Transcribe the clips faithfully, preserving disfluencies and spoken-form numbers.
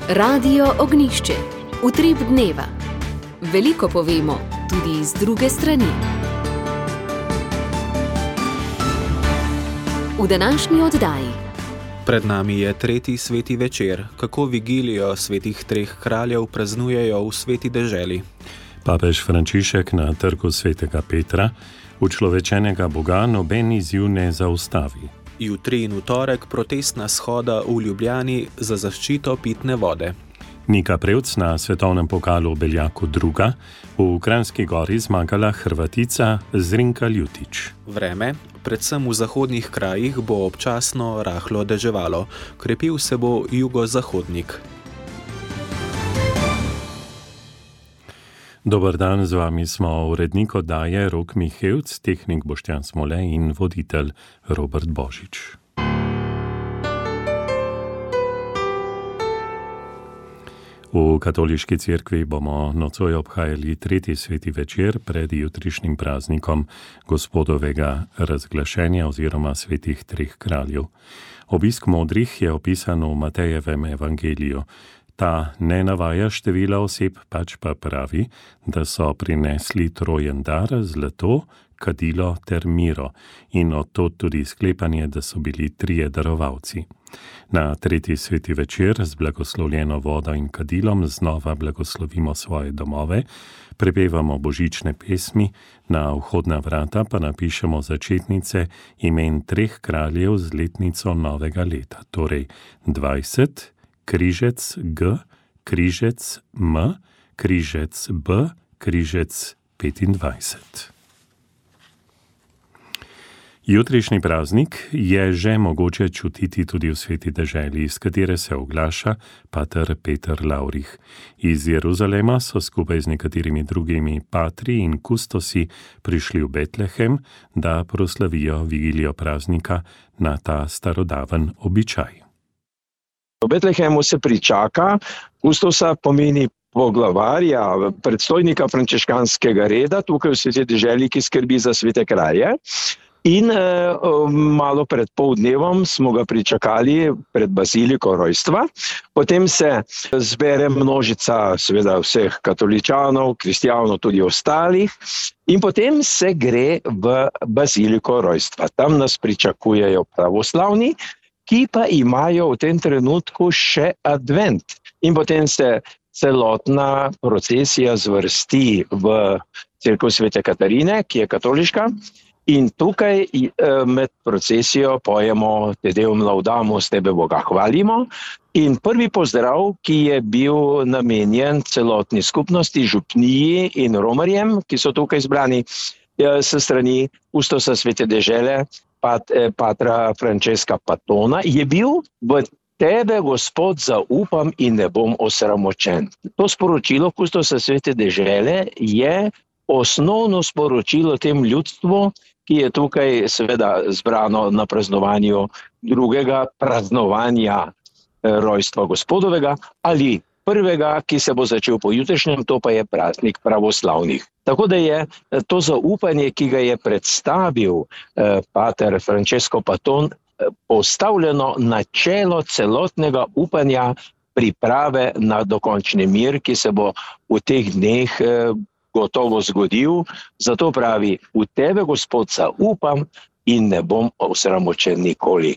Radio Ognjišče. Utrip dneva. Veliko povemo, tudi iz druge strani. V današnji oddaji. Pred nami je tretji sveti večer, kako vigilijo svetih treh kraljev praznujejo v sveti deželi. Papež Frančišek na trgu svetega Petra učlovečenega Boga noben izziv ne zaustavi. Jutri in v torek protestna shoda v Ljubljani za zaščito pitne vode. Nika Prevc na svetovnem pokalu v Beljaku druga, v Kranjski Gori zmagala Hrvatica Zrinka Ljutić. Vreme, predvsem v zahodnih krajih, bo občasno rahlo deževalo, krepil se bo jugozahodnik. Dober dan, z vami smo urednik oddaje Rok Mihevc, tehnik Boštjan Smole in voditelj Robert Božič. V katoliški cerkvi bomo nocoj obhajali tretji sveti večer pred jutrišnjim praznikom Gospodovega razglašenja oziroma svetih treh kraljev. Obisk modrih je opisan v Matejevem evangeliju. Ta ne navaja števila oseb, pač pa pravi, da so prinesli trojen dar, zlato, kadilo ter miro in odtod tudi sklepanje, da so bili trije darovalci. Na tretji sveti večer z blagoslovljeno vodo in kadilom znova blagoslovimo svoje domove, prepevamo božične pesmi, na vhodna vrata pa napišemo začetnice imen treh kraljev z letnico novega leta, torej dvajset, križec G, križec M, križec B, križec petindvajset. Jutrišnji praznik je že mogoče čutiti tudi v sveti deželi, iz katere se oglaša pater Peter Laurich. Iz Jeruzalema so skupaj z nekaterimi drugimi patri in kustosi prišli v Betlehem, da proslavijo vigilijo praznika na ta starodaven običaj. V Betlehemu se pričaka, kustosa pomeni poglavarja, predstojnika frančiškanskega reda, tukaj v sveti deželi, ki skrbi za svete kralje. In eh, malo pred pol dnevom smo ga pričakali pred baziliko rojstva. Potem se zbere množica seveda vseh katoličanov, kristijanov, tudi ostalih. In potem se gre v baziliko rojstva. Tam nas pričakujejo pravoslavni, ki pa imajo v tem trenutku še advent. In potem se celotna procesija zvrsti v cerkev svete Katarine, ki je katoliška. In tukaj med procesijo pojemo Te Deum laudamus, tebe Boga hvalimo. In prvi pozdrav, ki je bil namenjen celotni skupnosti, župniji in romarjem, ki so tukaj zbrani s strani kustosa svete dežele, pat, patra Francesca Patona, je bil: v tebe, Gospod, zaupam in ne bom osramočen. To sporočilo kustosa svete dežele je osnovno sporočilo tem ljudstvu, ki je tukaj seveda zbrano na praznovanju drugega praznovanja rojstva Gospodovega ali prvega, ki se bo začel po jutrišnjem, to pa je praznik pravoslavnih. Tako da je to zaupanje, ki ga je predstavil eh, pater Francesco Paton, eh, postavljeno na čelo celotnega upanja priprave na dokončni mir, ki se bo v teh dneh eh, gotovo zgodil. Zato pravi: v tebe, Gospod, zaupam in ne bom osramočen nikoli.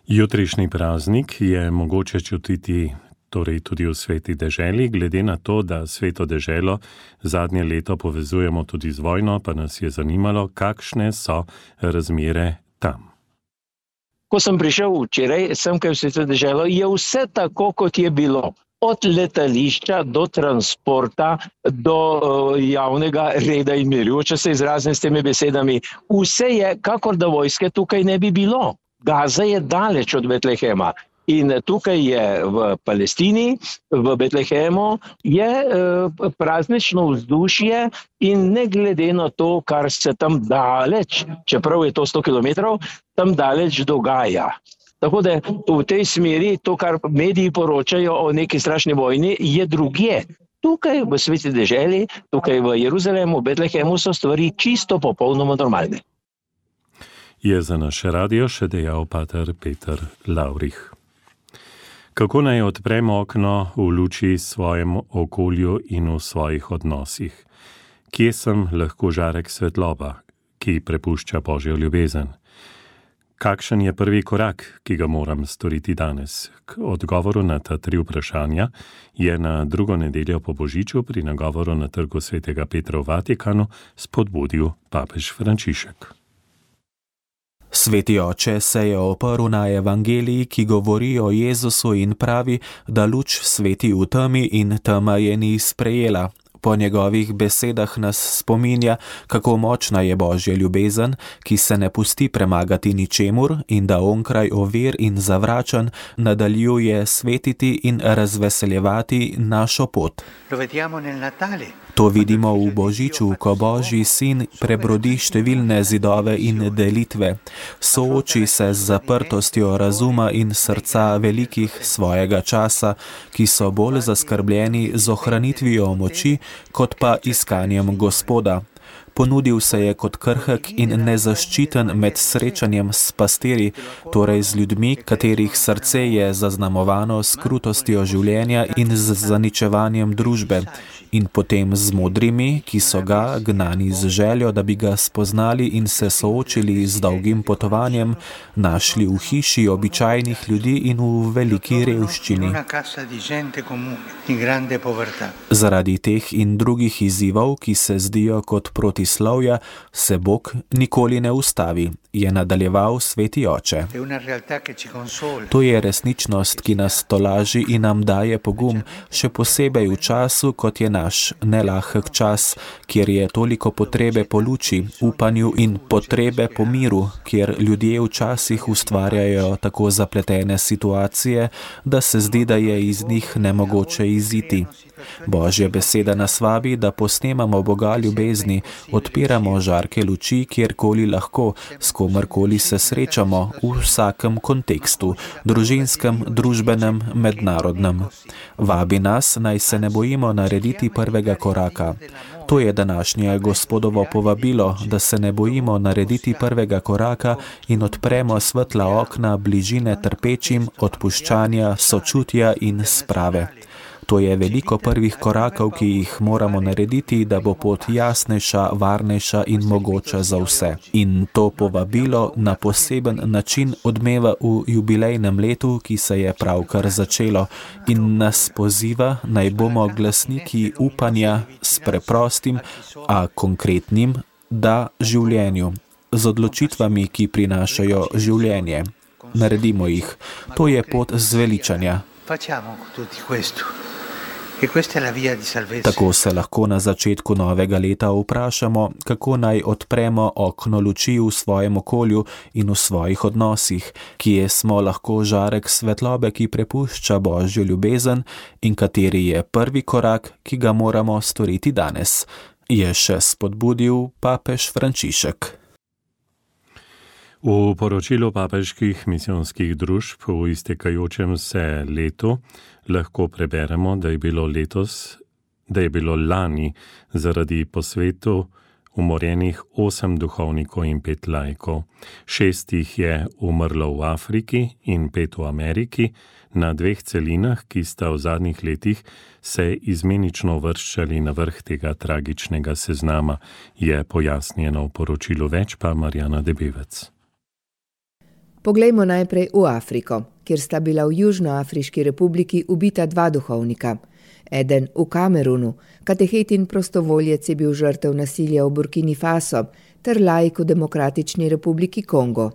Jutrišnji praznik je mogoče čutiti torej tudi v sveti deželi, glede na to, da sveto deželo zadnje leto povezujemo tudi z vojno, pa nas je zanimalo, kakšne so razmere tam. Ko sem prišel včeraj, sem kaj v sveto deželo, je vse tako, kot je bilo. Od letališča do transporta, do uh, javnega reda in miru, če se izrazim s temi besedami, vse je, kakor da vojske tukaj ne bi bilo. Gaza je daleč od Betlehema in tukaj je v Palestini, v Betlehemu, je uh, praznično vzdušje in ne glede na to, kar se tam daleč, čeprav je to sto kilometrov, tam daleč dogaja. Tako da v tej smeri to, kar mediji poročajo o neki strašni vojni, je drugje. Tukaj v sveti deželi, tukaj v Jeruzalemu, v Betlehemu so stvari čisto popolnoma normalne. Je za naše radio še dejal pater Peter Laurich. Kako naj odpremo okno v luči svojem okolju in v svojih odnosih? Kje sem lahko žarek svetloba, ki prepušča Božjo ljubezen? Kakšen je prvi korak, ki ga moram storiti danes? K odgovoru na ta tri vprašanja je na drugo nedeljo po Božiču pri nagovoru na trgu svetega Petra v Vatikanu spodbudil papež Frančišek. Sveti oče se je oprl na evangeliji, ki govori o Jezusu in pravi, da luč sveti v temi in tema je ni sprejela. Po njegovih besedah nas spominja, kako močna je Božja ljubezen, ki se ne pusti premagati ničemur in da onkraj ovir in zavračanj nadaljuje svetiti in razveseljevati našo pot. To vidimo v Božiču, ko Božji sin prebrodi številne zidove in delitve, sooči se z zaprtostjo razuma in srca velikih svojega časa, ki so bolj zaskrbljeni z ohranitvijo moči, kot pa iskanjem Gospoda. Ponudil se je kot krhek in nezaščiten med srečanjem s pastiri, torej z ljudmi, katerih srce je zaznamovano s krutostjo življenja in z zaničevanjem družbe, in potem z modrimi, ki so ga, gnani z željo, da bi ga spoznali in se soočili z dolgim potovanjem, našli v hiši običajnih ljudi in v veliki revščini. Zaradi teh in drugih izzivov, ki se zdijo kot protislovja, se Bog nikoli ne ustavi, je nadaljeval sveti oče. To je resničnost, ki nas tolaži in nam daje pogum, še posebej v času, kot je naš nelahek čas, kjer je toliko potrebe po luči, upanju in potrebe po miru, kjer ljudje včasih ustvarjajo tako zapletene situacije, da se zdi, da je iz njih nemogoče iziti. Božja beseda nas vabi, da posnemamo Boga ljubezni, odpiramo žarke luči, kjerkoli lahko, s komerkoli se srečamo, v vsakem kontekstu, družinskem, družbenem, mednarodnem. Vabi nas, naj se ne bojimo narediti prvega koraka. To je današnje Gospodovo povabilo, da se ne bojimo narediti prvega koraka in odpremo svetla okna bližine trpečim, odpuščanja, sočutja in sprave. To je veliko prvih korakov, ki jih moramo narediti, da bo pot jasnejša, varnejša in mogoča za vse. In to povabilo na poseben način odmeva v jubilejnem letu, ki se je pravkar začelo, in nas poziva, naj bomo glasniki upanja s preprostim, a konkretnim, da življenju, z odločitvami, ki prinašajo življenje. Naredimo jih. To je pot zveličanja. Tako se lahko na začetku novega leta vprašamo, kako naj odpremo okno luči v svojem okolju in v svojih odnosih, kje smo lahko žarek svetlobe, ki prepušča Božjo ljubezen in kateri je prvi korak, ki ga moramo storiti danes, je še spodbudil papež Frančišek. V poročilu papežskih misijonskih družb v iztekajočem se letu lahko preberemo, da je bilo letos, da je bilo lani zaradi posvetov umorjenih osem duhovnikov in pet laikov. Šest jih je umrlo v Afriki in pet v Ameriki, na dveh celinah, ki sta v zadnjih letih se izmenično vrščali na vrh tega tragičnega seznama, je pojasnjeno v poročilu, več pa Marjana Debevec. Poglejmo najprej v Afriko, kjer sta bila v Južnoafriški republiki ubita dva duhovnika. Eden v Kamerunu, katehet in prostovoljec je bil žrtev nasilja v Burkini Faso, ter laik v Demokratični republiki Kongo.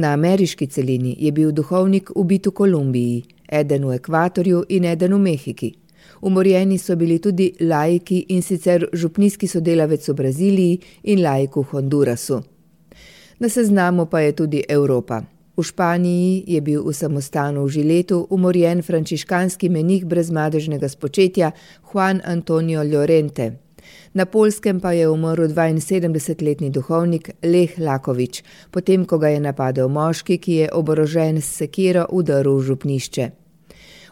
Na ameriški celini je bil duhovnik ubit v Kolumbiji, eden v Ekvatorju in eden v Mehiki. Umorjeni so bili tudi laiki, in sicer župnijski sodelavec v Braziliji in laik v Hondurasu. Na seznamu pa je tudi Evropa. V Španiji je bil v samostanu v Žiletu umorjen frančiškanski menih brezmadežnega spočetja Juan Antonio Llorente. Na Poljskem pa je umrl dvainsedemdesetletni duhovnik Lech Lakovič, potem ko ga je napadel moški, ki je oborožen s sekiro vdrl v župnišče.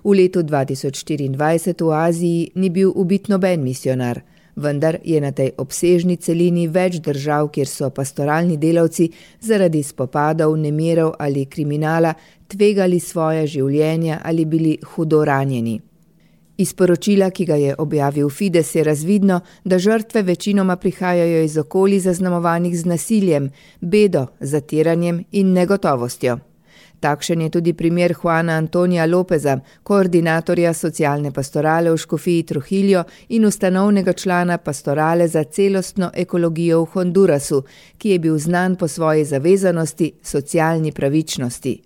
V letu dva tisoč štiriindvajset v Aziji ni bil ubit noben misionar. vendar je na tej obsežni celini več držav, kjer so pastoralni delavci zaradi spopadov, nemirov ali kriminala tvegali svoje življenja ali bili hudo ranjeni. Iz poročila, ki ga je objavil Fides, je razvidno, da žrtve večinoma prihajajo iz okolij zaznamovanih z nasiljem, bedo, zatiranjem in negotovostjo. Takšen je tudi primer Juana Antonija Lopeza, koordinatorja socialne pastorale v Škofiji Trujillo in ustanovnega člana pastorale za celostno ekologijo v Hondurasu, ki je bil znan po svoji zavezanosti socialni pravičnosti.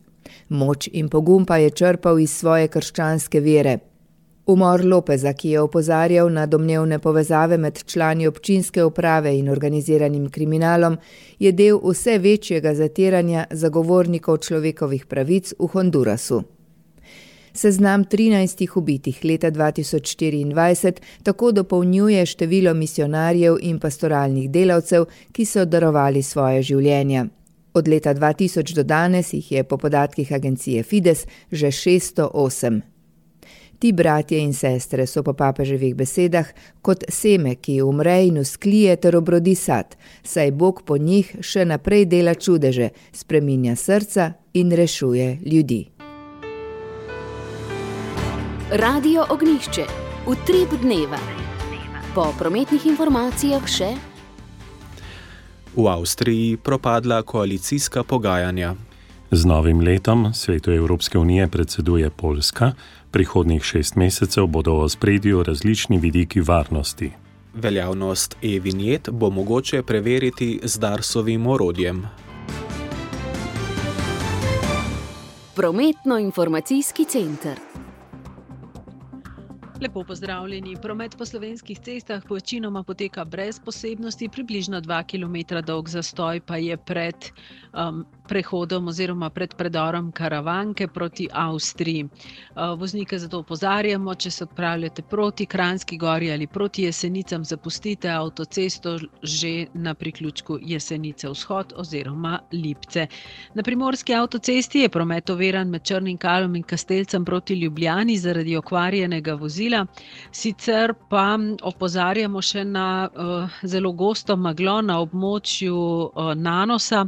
Moč in pogum pa je črpal iz svoje krščanske vere. Umor Lopeza, ki je opozarjal na domnevne povezave med člani občinske uprave in organiziranim kriminalom, je del vse večjega zatiranja zagovornikov človekovih pravic v Hondurasu. Seznam trinajstih ubitih leta dva tisoč štiriindvajset tako dopolnjuje število misionarjev in pastoralnih delavcev, ki so darovali svoje življenja. Od leta dva tisoč do danes jih je po podatkih agencije Fides že šeststo osem. Ti bratje in sestre so po papeževih besedah kot seme, ki umre in usklije ter obrodi sad, saj Bog po njih še naprej dela čudeže, spreminja srca in rešuje ljudi. Radio Ognjišče. Utrip dneva. Po prometnih informacijah še. V Avstriji propadla koalicijska pogajanja. Z novim letom Svetu Evropske unije predseduje Poljska. Prihodnjih šest mesecev bodo v ospredju različni vidiki varnosti. Veljavnost e-vinjet bo mogoče preveriti z Darsovim orodjem. Prometno-informacijski center. Lepo pozdravljeni. Promet po slovenskih cestah večinoma poteka brez posebnosti, približno dva kilometra dolg zastoj pa je pred um, prehodom oziroma pred predorom Karavanke proti Avstriji. Uh, voznike zato opozarjamo, če se odpravljate proti Kranjski gori ali proti Jesenicam, zapustite avtocesto že na priključku Jesenice vzhod oziroma Lipce. Na primorski avtocesti je promet oviran med Črnim Kalom in Kastelcem proti Ljubljani zaradi okvarjenega vozila. Sicer pa opozarjamo še na uh, zelo gosto meglo na območju uh, Nanosa,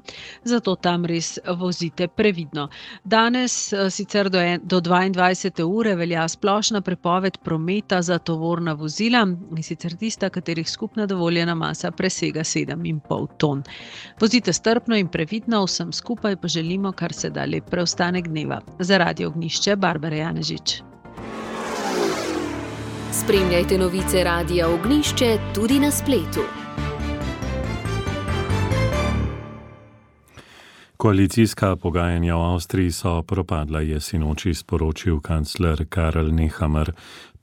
zato tam res vozite previdno. Danes uh, sicer do, en, do dvaindvajsete ure velja splošna prepoved prometa za tovorna vozila, in sicer tista, katerih skupna dovoljena masa presega sedem in pol ton. Vozite strpno in previdno, vsem skupaj pa želimo kar se da lep preostanek dneva. Za Radio Ognjišče, Barbara Janežič. Spremljajte novice Radia Ognjišče tudi na spletu. Koalicijska pogajanja v Avstriji so propadla, je sinoči sporočil kancler Karl Nehammer.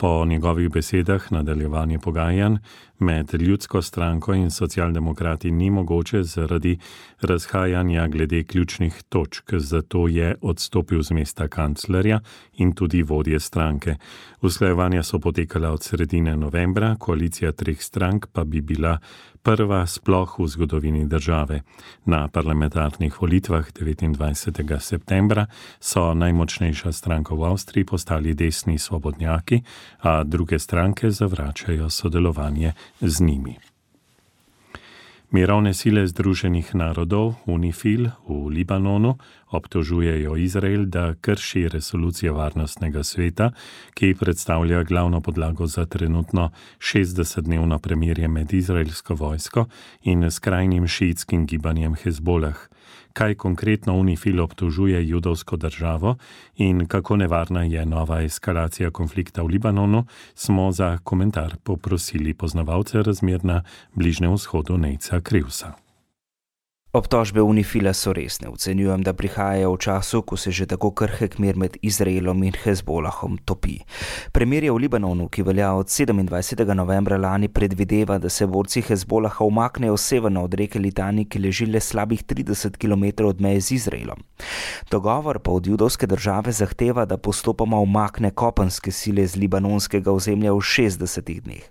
Po njegovih besedah nadaljevanje pogajanj med Ljudsko stranko in socialdemokrati ni mogoče zaradi razhajanja glede ključnih točk, zato je odstopil z mesta kanclerja in tudi vodje stranke. Usklajevanja so potekala od sredine novembra, koalicija treh strank pa bi bila prva sploh v zgodovini države. Na parlamentarnih volitvah devetindvajsetega septembra so najmočnejša stranka v Avstriji postali desni svobodnjaki, a druge stranke zavračajo sodelovanje z njimi. Mirovne sile Združenih narodov, UNIFIL, v Libanonu obtožujejo Izrael, da krši resolucijo Varnostnega sveta, ki predstavlja glavno podlago za trenutno šestdesetdnevno premirje med izraelsko vojsko in skrajnim šiitskim gibanjem Hezbolah. Kaj konkretno UNIFIL obtožuje judovsko državo in kako nevarna je nova eskalacija konflikta v Libanonu, smo za komentar poprosili poznavalce razmer na Bližnjem vzhodu Nejca Krivsa. Obtožbe UNIFIL-a so resne. Ocenjujem, da prihajajo v času, ko se že tako krhek mir med Izraelom in Hezbolahom topi. Premirje v Libanonu, ki velja od sedemindvajsetega novembra lani, predvideva, da se borci Hezbolaha umaknejo severno od reke Litani, ki leži le slabih trideset kilometrov od meje z Izraelom. Dogovor pa od judovske države zahteva, da postopoma umakne kopenske sile z libanonskega ozemlja v šestdesetih dneh.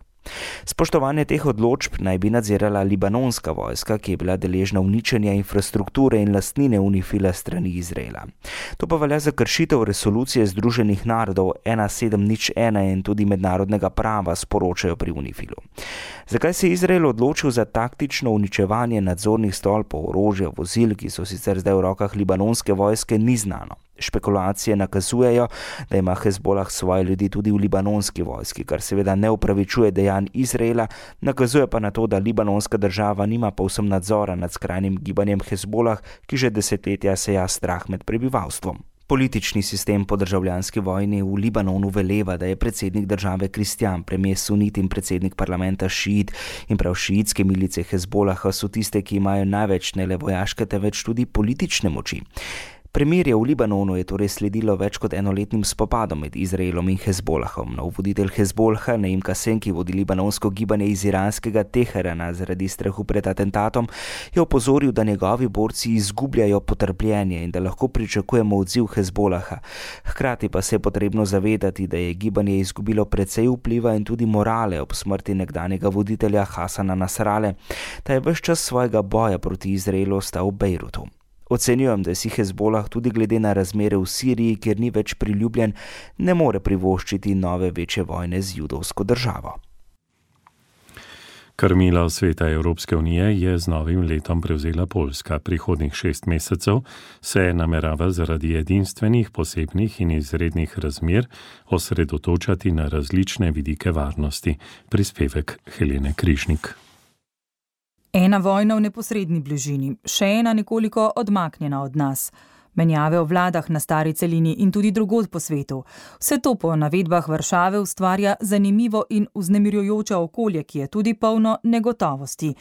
Spoštovanje teh odločb naj bi nadzirala libanonska vojska, ki je bila deležna uničenja infrastrukture in lastnine Unifila strani Izraela. To pa velja za kršitev resolucije Združenih narodov ena sedem nič ena in tudi mednarodnega prava, sporočajo pri Unifilu. Zakaj se je Izrael odločil za taktično uničevanje nadzornih stolpov, orožja, vozil, ki so sicer zdaj v rokah libanonske vojske, ni znano. Špekulacije nakazujejo, da ima Hezbolah svoje ljudi tudi v libanonski vojski, kar seveda ne upravičuje dejanj Izraela, nakazuje pa na to, da libanonska država nima povsem nadzora nad skrajnim gibanjem Hezbolah, ki že desetletja seja strah med prebivalstvom. Politični sistem po državljanski vojni v Libanonu veleva, da je predsednik države kristjan, premijer sunit in predsednik parlamenta šiit, in prav šiitske milice Hezbolaha so tiste, ki imajo največ ne le vojaške, temveč tudi politične moči. Premirje v Libanonu je torej sledilo več kot enoletnim spopadom med Izraelom in Hezbolahom. Nov voditelj Hezbolaha, Naim Kasem, ki vodi libanonsko gibanje iz iranskega Teherana zaradi strahu pred atentatom, je opozoril, da njegovi borci izgubljajo potrpljenje in da lahko pričakujemo odziv Hezbolaha. Hkrati pa se je potrebno zavedati, da je gibanje izgubilo precej vpliva in tudi morale ob smrti nekdanjega voditelja Hasana Nasrale. Ta je ves čas svojega boja proti Izraelu ostal v Bejrutu. Ocenjujem, da si Hezbolah tudi glede na razmere v Siriji, kjer ni več priljubljen, ne more privoščiti nove večje vojne z judovsko državo. Krmilo sveta Evropske unije je z novim letom prevzela Poljska. Prihodnjih šest mesecev se namerava zaradi edinstvenih, posebnih in izrednih razmer osredotočati na različne vidike varnosti. Prispevek Helene Križnik. Ena vojna v neposredni bližini, še ena nekoliko odmaknjena od nas. Menjave v vladah na stari celini in tudi drugod po svetu. Vse to po navedbah Varšave ustvarja zanimivo in vznemirjujoče okolje, ki je tudi polno negotovosti.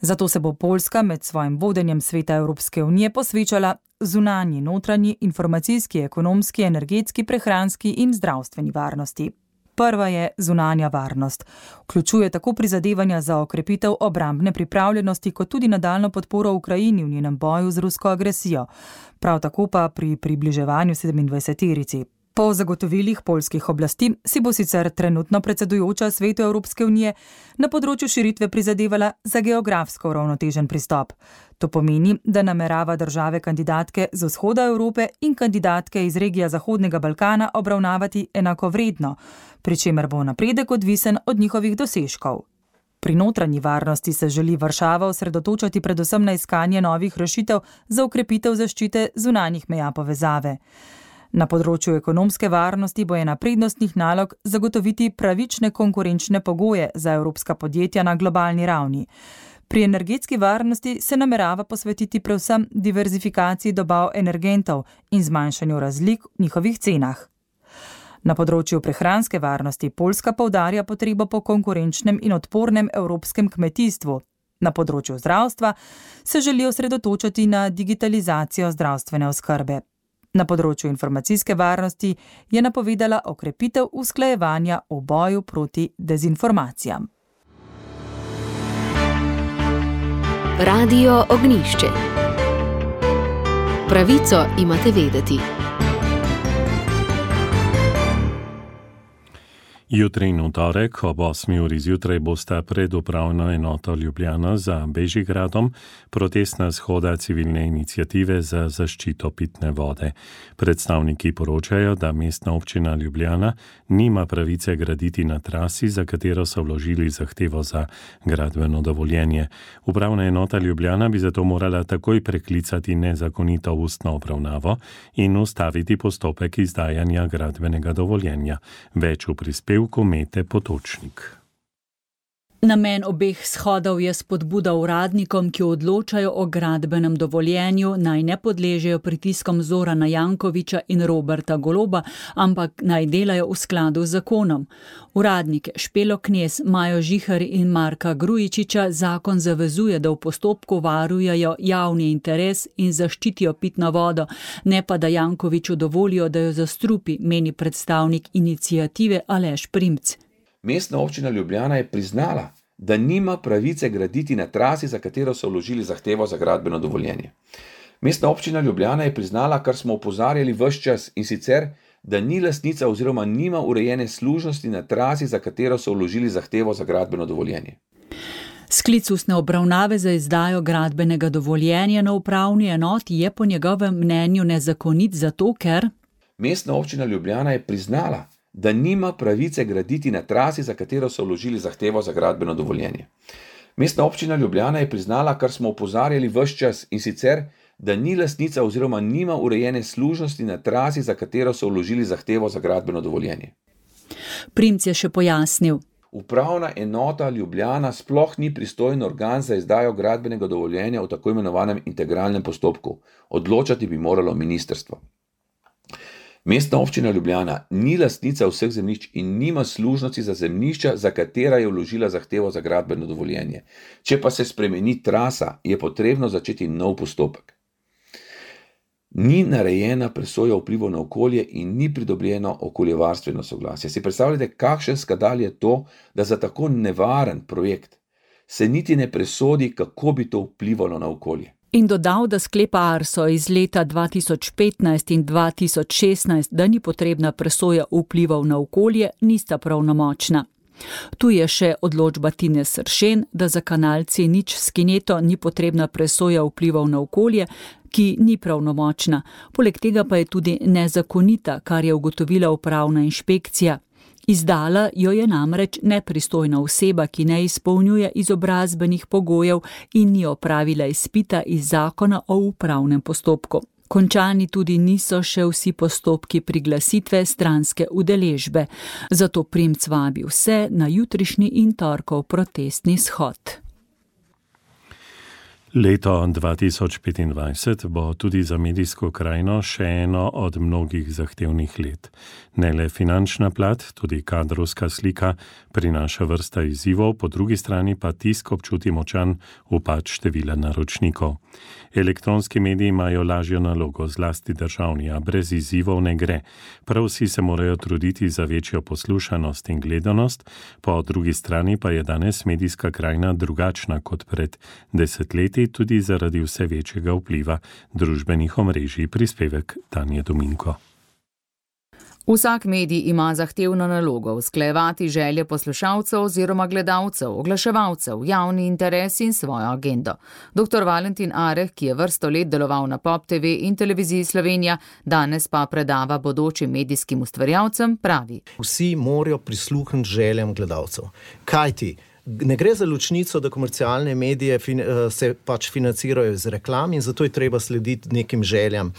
Zato se bo Poljska med svojim vodenjem sveta Evropske unije posvečala zunanji, notranji, informacijski, ekonomski, energetski, prehranski in zdravstveni varnosti. Prva je zunanja varnost. Vključuje tako prizadevanja za okrepitev obrambne pripravljenosti, kot tudi nadaljno podporo Ukrajini v njenem boju z rusko agresijo. Prav tako pa pri približevanju sedemindvajseterici. Po zagotovilih poljskih oblasti si bo sicer trenutno predsedujoča svetu Evropske unije na področju širitve prizadevala za geografsko uravnotežen pristop. To pomeni, da namerava države kandidatke z vzhoda Evrope in kandidatke iz regije Zahodnega Balkana obravnavati enakovredno, pri čemer bo napredek odvisen od njihovih dosežkov. Pri notranji varnosti se želi Varšava osredotočati predvsem na iskanje novih rešitev za okrepitev zaščite zunanjih meja povezave. Na področju ekonomske varnosti bo ena prednostnih nalog zagotoviti pravične konkurenčne pogoje za evropska podjetja na globalni ravni. Pri energetski varnosti se namerava posvetiti predvsem diverzifikaciji dobav energentov in zmanjšanju razlik v njihovih cenah. Na področju prehranske varnosti Poljska poudarja potrebo po konkurenčnem in odpornem evropskem kmetijstvu. Na področju zdravstva se želi osredotočiti na digitalizacijo zdravstvene oskrbe. Na področju informacijske varnosti je napovedala okrepitev usklajevanja v boju proti dezinformacijam. Radio Ognjišče. Pravico imate vedeti. Jutri in v torek ob osmi uri zjutraj bosta pred upravno enoto Ljubljana za Bežigradom protestna shoda civilne iniciative za zaščito pitne vode. Predstavniki poročajo, da mestna občina Ljubljana nima pravice graditi na trasi, za katero so vložili zahtevo za gradbeno dovoljenje. Upravna enota Ljubljana bi zato morala takoj preklicati nezakonito ustno obravnavo in ustaviti postopek izdajanja gradbenega dovoljenja. Več v prispevku Mete Potočnik. Namen obeh shodov je spodbuda uradnikom, ki odločajo o gradbenem dovoljenju, naj ne podležejo pritiskom Zorana Jankovića in Roberta Goloba, ampak naj delajo v skladu z zakonom. Uradnike Špelo Knez, Majo Žihar in Marka Grujičiča zakon zavezuje, da v postopku varujejo javni interes in zaščitijo pitno vodo, ne pa da Jankoviću dovolijo, da jo zastrupi, meni predstavnik iniciative Aleš Primc. Mestna občina Ljubljana je priznala, da nima pravice graditi na trasi, za katero so vložili zahtevo za gradbeno dovoljenje. Mestna občina Ljubljana je priznala, kar smo opozarjali ves čas, in sicer, da ni lastnica oziroma nima urejene služnosti na trasi, za katero so vložili zahtevo za gradbeno dovoljenje. Sklic ustne obravnave za izdajo gradbenega dovoljenja na upravni enoti je po njegovem mnenju nezakonit zato, ker Mestna občina Ljubljana je priznala, da nima pravice graditi na trasi, za katero so vložili zahtevo za gradbeno dovoljenje. Mestna občina Ljubljana je priznala, kar smo opozarjali ves čas, in sicer, da ni lastnica oziroma nima urejene služnosti na trasi, za katero so vložili zahtevo za gradbeno dovoljenje. Primc je še pojasnil. Upravna enota Ljubljana sploh ni pristojen organ za izdajo gradbenega dovoljenja v tako imenovanem integralnem postopku. Odločati bi moralo ministrstvo. Mestna občina Ljubljana ni lastnica vseh zemljišč in nima služnosti za zemljišča, za katera je vložila zahtevo za gradbeno dovoljenje. Če pa se spremeni trasa, je potrebno začeti nov postopek. Ni narejena presoja vplivov na okolje in ni pridobljeno okoljevarstveno soglasje. Si predstavljate, kakšen skandal je to, da za tako nevaren projekt se niti ne presodi, kako bi to vplivalo na okolje. In dodal, da sklepa Arso iz leta dva tisoč petnajst in dva tisoč šestnajst, da ni potrebna presoja vplivov na okolje, nista pravnomočna. Tu je še odločba Tine Sršen, da za kanal C nič s kineto ni potrebna presoja vplivov na okolje, ki ni pravnomočna. Poleg tega pa je tudi nezakonita, kar je ugotovila upravna inšpekcija. Izdala jo je namreč nepristojna oseba, ki ne izpolnjuje izobrazbenih pogojev in ni opravila izpita iz zakona o upravnem postopku. Končani tudi niso še vsi postopki priglasitve stranske udeležbe. Zato Primc vabi vse na jutrišnji in torkov protestni shod. Leto dva tisoč petindvajset bo tudi za medijsko krajino še eno od mnogih zahtevnih let. Ne le finančna plat, tudi kadrovska slika prinaša vrsta izzivov, po drugi strani pa tisk občuti močan upad števila naročnikov. Elektronski mediji imajo lažjo nalogo, zlasti državni, a brez izzivov ne gre. Prav vsi se morajo truditi za večjo poslušanost in gledanost, po drugi strani pa je danes medijska krajina drugačna kot pred desetletji, tudi zaradi vse večjega vpliva družbenih omrežij. Prispevek Tanje Dominko. Vsak medij ima zahtevno nalogo usklajevati želje poslušalcev oziroma gledalcev, oglaševalcev, javni interes in svojo agendo. doktor Valentin Areh, ki je vrsto let deloval na Pop T V in Televiziji Slovenija, danes pa predava bodočim medijskim ustvarjalcem, pravi. Vsi morajo prisluhniti željam gledalcev. Kajti ne gre za ločnico, da komercialne medije se pač financirajo z reklam in zato je treba slediti nekim željam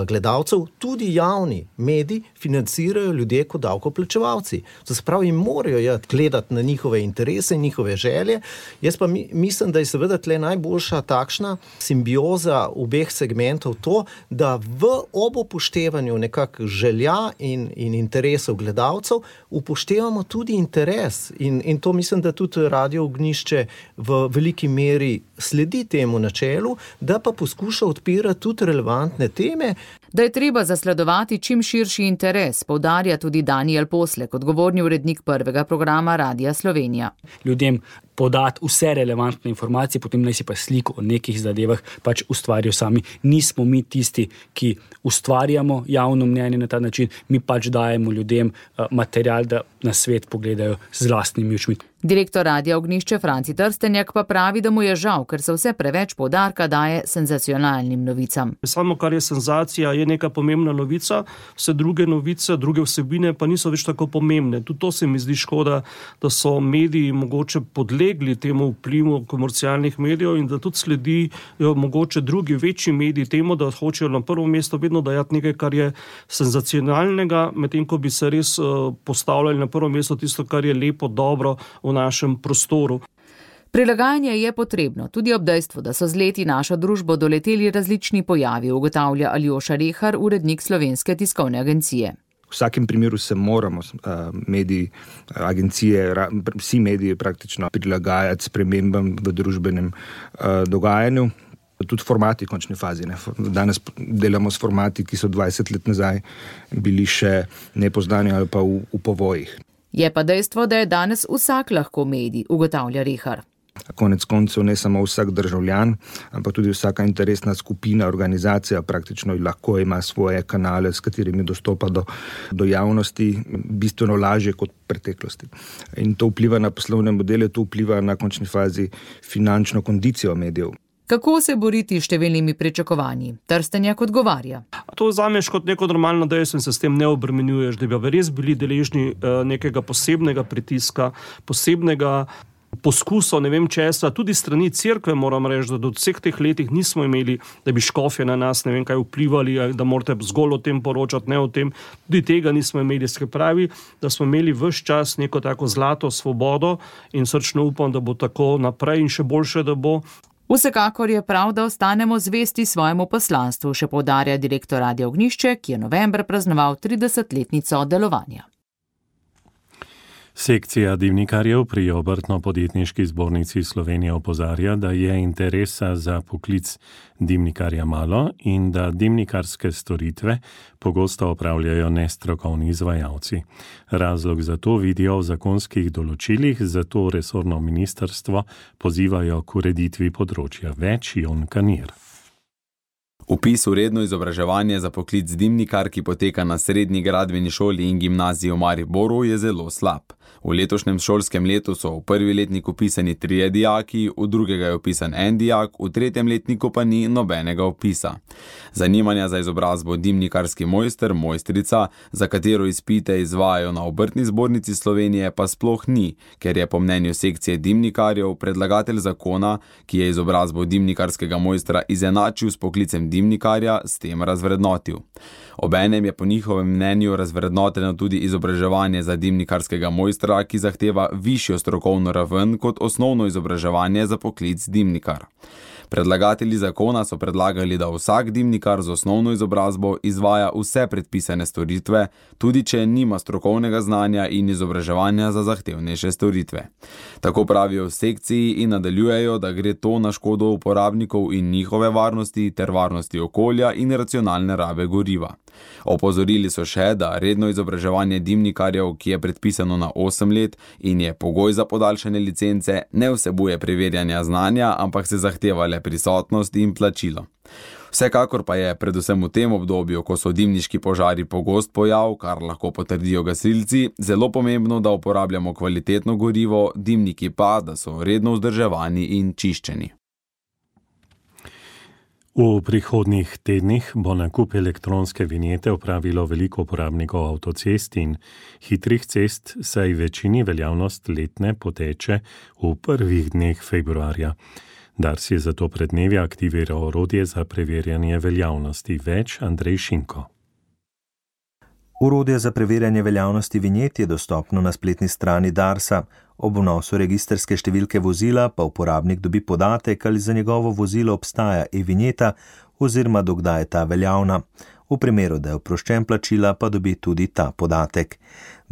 gledalcev. Tudi javni mediji financirajo ljudje kot davkoplačevalci. To se pravi, morajo gledati na njihove interese in njihove želje. Jaz pa mislim, da je seveda tle najboljša takšna simbioza obeh segmentov to, da v ob upoštevanju nekak želja in, in interesov gledalcev upoštevamo tudi interes. In, in to mislim, da tudi Radio Ognjišče v veliki meri sledi temu načelu, da pa poskuša odpirati tudi relevantne teme. Da je treba zasledovati čim širši interes, poudarja tudi Daniel Poslek, odgovorni urednik prvega programa Radia Slovenija. Ljudem podati vse relevantne informacije, potem naj si pa sliko o nekih zadevah pač ustvarijo sami. Nismo mi tisti, ki ustvarjamo javno mnenje na ta način, mi pač dajemo ljudem material, da na svet pogledajo z lastnimi očmi. Direktor Radia Ognjišče Franci Trstenjak pa pravi, da mu je žal, ker se vse preveč poudarka daje senzacionalnim novicam. Samo kar je senzacija, je neka pomembna novica, vse druge novice, druge vsebine pa niso več tako pomembne. Tudi to se mi zdi škoda, da so mediji mogoče podlegli temu vplivu komercialnih medijev in da tudi sledijo mogoče drugi večji mediji temu, da hočejo na prvo mesto vedno dajati nekaj, kar je senzacionalnega, medtem ko bi se res postavljali na prvo mesto tisto, kar je lepo, dobro v našem prostoru. Prilagajanje je potrebno, tudi ob dejstvu, da so z leti našo družbo doleteli različni pojavi, ugotavlja Aljoša Rehar, urednik Slovenske tiskovne agencije. V vsakem primeru se moramo mediji, agencije, vsi mediji praktično prilagajati spremembam v družbenem dogajanju. Tudi formati v končni fazi. Ne. Danes delamo s formati, ki so dvajset let nazaj bili še nepoznani ali pa v, v povojih. Je pa dejstvo, da je danes vsak lahko medij, ugotavlja Rehar. Konec koncev ne samo vsak državljan, ampak tudi vsaka interesna skupina, organizacija praktično lahko ima svoje kanale, s katerimi dostopa do, do javnosti bistveno lažje kot v preteklosti. In to vpliva na poslovne modele, to vpliva na končni fazi finančno kondicijo medijev. Kako se boriti s številnimi pričakovanji? Trstenjak odgovarja. To vzameš kot neko normalno dejstvo in se s tem ne obremenjuješ, da bi res bili deležni nekega posebnega pritiska, posebnega poskusov, ne vem česa, tudi strani cerkve moram reči, da do vseh teh letih nismo imeli, da bi škofje na nas ne vem kaj vplivali, da morate zgolj o tem poročati, ne o tem, tudi tega nismo imeli, se pravi, da smo imeli ves čas neko tako zlato svobodo in srčno upam, da bo tako naprej in še boljše, da bo. Vsekakor je prav, da ostanemo zvesti svojemu poslanstvu, še poudarja direktor Radia Ognjišče, ki je novembra praznoval tridesetletnico delovanja. Sekcija dimnikarjev pri Obrtno-podjetniški zbornici Slovenije opozarja, da je interesa za poklic dimnikarja malo in da dimnikarske storitve pogosto opravljajo nestrokovni izvajalci. Razlog za to vidijo v zakonskih določilih, zato resorno ministrstvo pozivajo k ureditvi področja. Več Jon Kanir. Vpis v redno izobraževanje za poklic dimnikar, ki poteka na srednji gradbeni šoli in gimnaziji v Mariboru, je zelo slab. V letošnjem šolskem letu so v prvi letnik vpisani trije dijaki, v drugega je vpisan en dijak, v tretjem letniku pa ni nobenega vpisa. Zanimanja za izobrazbo dimnikarski mojster, mojstrica, za katero izpite izvajajo na Obrtni zbornici Slovenije, pa sploh ni, ker je po mnenju sekcije dimnikarjev predlagatelj zakona, ki je izobrazbo dimnikarskega mojstra izenačil s poklicem dimnikarja, s tem razvrednotil. Obenem je po njihovem mnenju razvrednoteno tudi izobraževanje za dimnikarskega mojstra, ki zahteva višjo strokovno raven kot osnovno izobraževanje za poklic dimnikar. Predlagatelji zakona so predlagali, da vsak dimnikar z osnovno izobrazbo izvaja vse predpisane storitve, tudi če nima strokovnega znanja in izobraževanja za zahtevnejše storitve. Tako pravijo v sekciji in nadaljujejo, da gre to na škodo uporabnikov in njihove varnosti ter varnosti okolja in racionalne rabe goriva. Opozorili so še, da redno izobraževanje dimnikarjev, ki je predpisano na osem let in je pogoj za podaljšanje licence, ne vsebuje preverjanja znanja, ampak se zahteva le prisotnost in plačilo. Vsekakor pa je predvsem v tem obdobju, ko so dimniški požari pogost pojav, kar lahko potrdijo gasilci, zelo pomembno, da uporabljamo kvalitetno gorivo, dimniki pa, da so redno vzdrževani in čiščeni. V prihodnjih tednih bo nakup elektronske vinjete opravilo veliko uporabnikov avtocest in hitrih cest, saj večini veljavnost letne poteče v prvih dneh februarja. Dars je zato pred dnevi aktiviral orodje za preverjanje veljavnosti. Več Andrej Šinko. Orodje za preverjanje veljavnosti vinjet je dostopno na spletni strani Darsa. Ob vnosu registrske številke vozila pa uporabnik dobi podatek, ali za njegovo vozilo obstaja e-vinjeta oziroma dokdaj je ta veljavna. V primeru, da je oproščen plačila, pa dobi tudi ta podatek.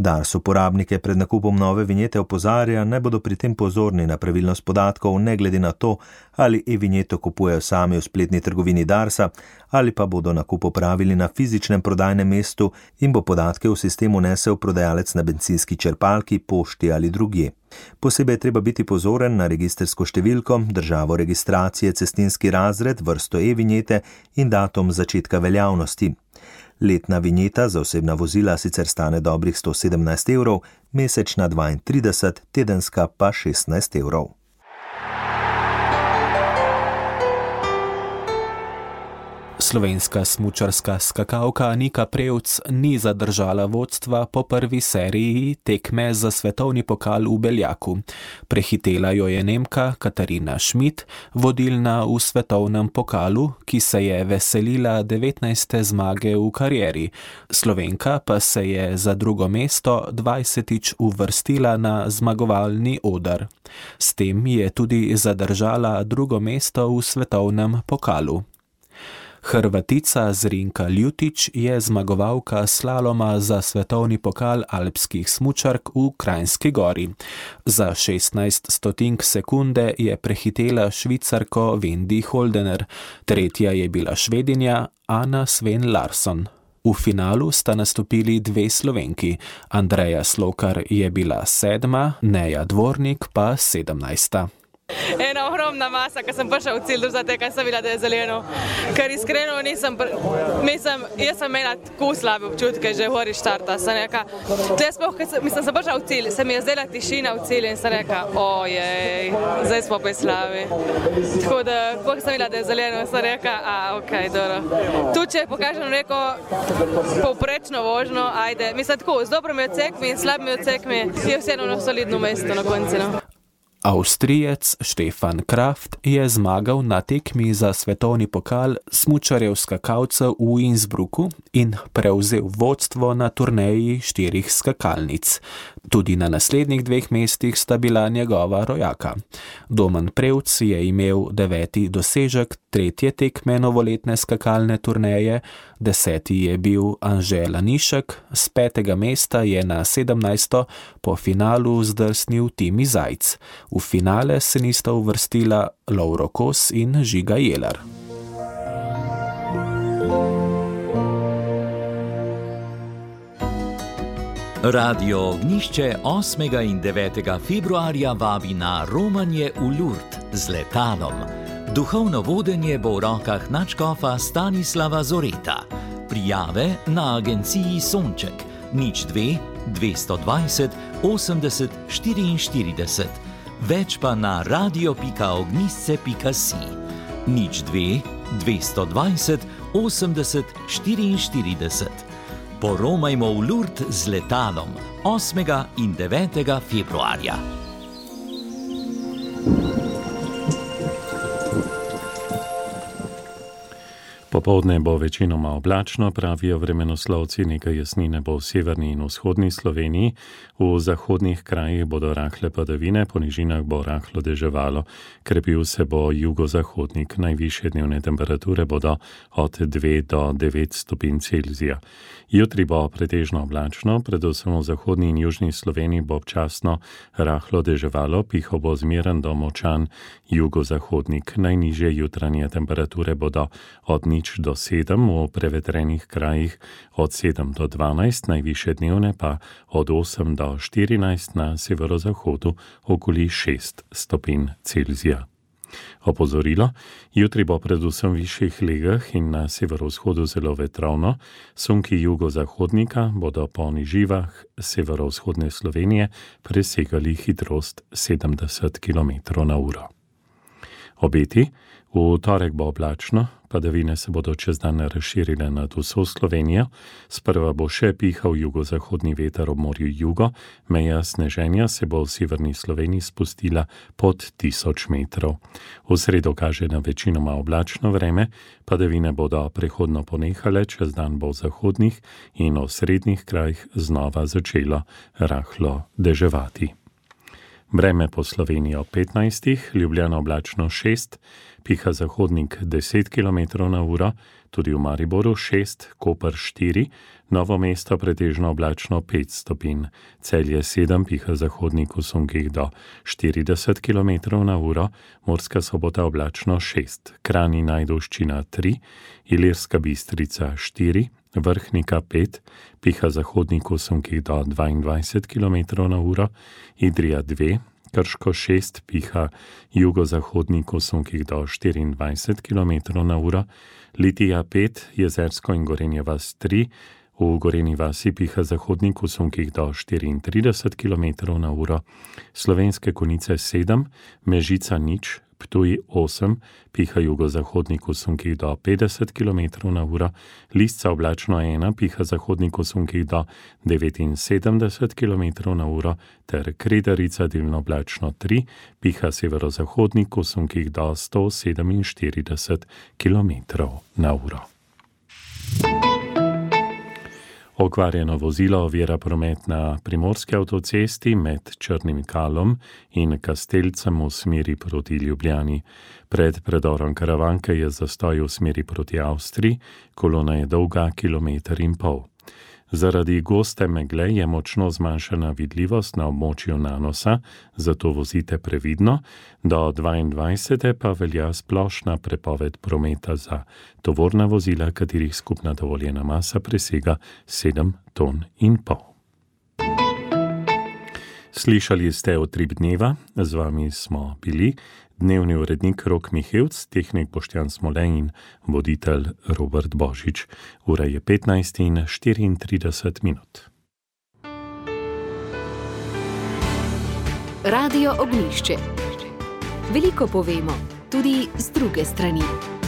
Dars uporabnike pred nakupom nove vinjete opozarja, naj bodo pri tem pozorni na pravilnost podatkov, ne glede na to, ali e-vinjeto kupujejo sami v spletni trgovini Darsa, ali pa bodo nakup opravili na fizičnem prodajnem mestu in bo podatke v sistem unesel prodajalec na bencinski črpalki, pošti ali drugje. Posebej je treba biti pozoren na registrsko številko, državo registracije, cestinski razred, vrsto e-vinjete in datum začetka veljavnosti. Letna vinjeta za osebna vozila sicer stane dobrih sto sedemnajst evrov, mesečna dvaintrideset, tedenska pa šestnajst evrov. Slovenska smučarska skakalka Nika Prevc ni zadržala vodstva po prvi seriji tekme za svetovni pokal v Beljaku. Prehitela jo je Nemka Katarina Schmidt, vodilna v svetovnem pokalu, ki se je veselila devetnajste zmage v karieri. Slovenka pa se je za drugo mesto dvajsetič uvrstila na zmagovalni oder. S tem je tudi zadržala drugo mesto v svetovnem pokalu. Hrvatica Zrinka Ljutić je zmagovalka slaloma za svetovni pokal alpskih smučark v Kranjski Gori. Za šestnajst stotink sekunde je prehitela Švicarko Vendi Holdener, tretja je bila Švedinja Anna Sven Larsson. V finalu sta nastopili dve Slovenki, Andreja Slokar je bila sedma, Neja Dvornik pa sedemnajsta. ena ogromna masa, ko sem prišel v cilj, zato ker sem videla, da je zeleno. Ker iskreno nisem, mislim, jaz sem imela tako slabe občutke, že v hori štarta. Sem reka, tle sploh, mislim, sem prišla v cilj, se mi je zdela tišina v cilj in sem reka, ojej, zdaj smo pa slabi. Tako da, ko sem videla, da je zeleno, sem reka, a, okej, okay, dobro. Tu, če pokažem neko povprečno vožno, ajde, mislim, tako, z dobrimi odsekmi in slabimi odsekmi je vseeno na solidno mesto na konci, no. Avstrijec Stefan Kraft je zmagal na tekmi za svetovni pokal smučarjev skakalcev v Innsbrucku in prevzel vodstvo na turneji štirih skakalnic. Tudi na naslednjih dveh mestih sta bila njegova rojaka. Domen Prevc je imel deveti dosežek tretje tekme novoletne skakalne turneje, deseti je bil Anže Lanišek, z petega mesta je na sedemnajsto po finalu zdrsnil Timi Zajc. V finale se nista uvrstila Lovro Kos in Žiga Jelar. Radio Ognjišče osmega in devetega februarja vabi na romanje v Lourdes z letalom. Duhovno vodenje bo v rokah nadškofa Stanislava Zoreta. Prijave na agenciji Sonček nič dve dvesto dvajset osemdeset štiriinštirideset. Več pa na radio pika ognjisce pika si. nič dve dvesto dvajset osemdeset štiriinštirideset. Poromajmo v Lourdes z letalom osmega in devetega februarja. Popoldne bo večinoma oblačno, pravijo vremenoslovci, nekaj jasnine bo v severni in vzhodni Sloveniji, v zahodnih krajih bodo rahle padavine, po nižinah bo rahlo deževalo, krepil se bo jugozahodnik, najvišje dnevne temperature bodo od dve do devet stopinj Celzija. Jutri bo pretežno oblačno, predvsem v zahodni in južni Sloveniji bo občasno rahlo deževalo, pihal bo zmeren do močan jugozahodnik, najnižje jutranje temperature bodo od nič do sedem, v prevetrenih krajih od sedem do dvanajst, najvišje dnevne pa od osem do štirinajst, na severozahodu okoli šest stopinj Celzija. Opozorilo, jutri bo predvsem v višjih legah in na severovzhodu zelo vetrovno, sunki jugozahodnika bodo po niživah severovzhodne Slovenije presegali hitrost sedemdeset kilometrov na uro. Obeti, v torek bo oblačno, padavine se bodo čez dan razširile nad vso Slovenijo, sprva bo še pihal jugozahodni veter ob morju jugo, meja sneženja se bo v severni Sloveniji spustila pod tisoč metrov. V sredo kaže na večinoma oblačno vreme, padavine bodo prehodno ponehale, čez dan bo v zahodnih in osrednjih krajih znova začelo rahlo deževati. Vreme po Sloveniji ob petnajstih, Ljubljana oblačno šest, piha zahodnik deset kilometrov na uro, tudi v Mariboru šest, Koper štiri, Novo mesto pretežno oblačno pet stopinj, Celje sedem, piha zahodnik v sunkih do štirideset kilometrov na uro, Murska Sobota oblačno šest, Kranj in Ajdovščina tri, Ilirska Bistrica štiri, Vrhnika pet, piha zahodnik v sunkih do dvaindvajset kilometrov na uro, Idrija dve, Krško šest, piha jugozahodnik v sunkih do štiriindvajset kilometrov na uro, Litija pet, Jezersko in Gorenja vas tri, v Gorenji vasi piha zahodnik v sunkih do štiriintrideset kilometrov na uro, Slovenske Konjice sedem, Mežica nič, Ptuj osem, piha jugozahodnik v sunkih do petdeset kilometrov na uro, Lisca oblačno ena, piha zahodnik v sunkih do devetinsedemdeset kilometrov na uro, ter Kredarica delno oblačno tri, piha severozahodnik v sunkih do sto sedeminštirideset kilometrov na uro. Okvarjeno vozilo ovira promet na primorski avtocesti med Črnim Kalom in Kastelcem v smeri proti Ljubljani. Pred predorom Karavanke je zastoj v smeri proti Avstriji, kolona je dolga kilometer in pol. Zaradi goste megle je močno zmanjšana vidljivost na območju Nanosa, zato vozite previdno, do dvaindvajsete pa velja splošna prepoved prometa za tovorna vozila, katerih skupna dovoljena masa presega sedem ton in pol. Slišali ste Utrip dneva, z vami smo bili dnevni urednik Rok Mihevc, tehnik Boštjan Smole in voditelj Robert Božič. Ura je petnajst in štiriintrideset minut. Radio Ognjišče. Veliko povemo, tudi z druge strani.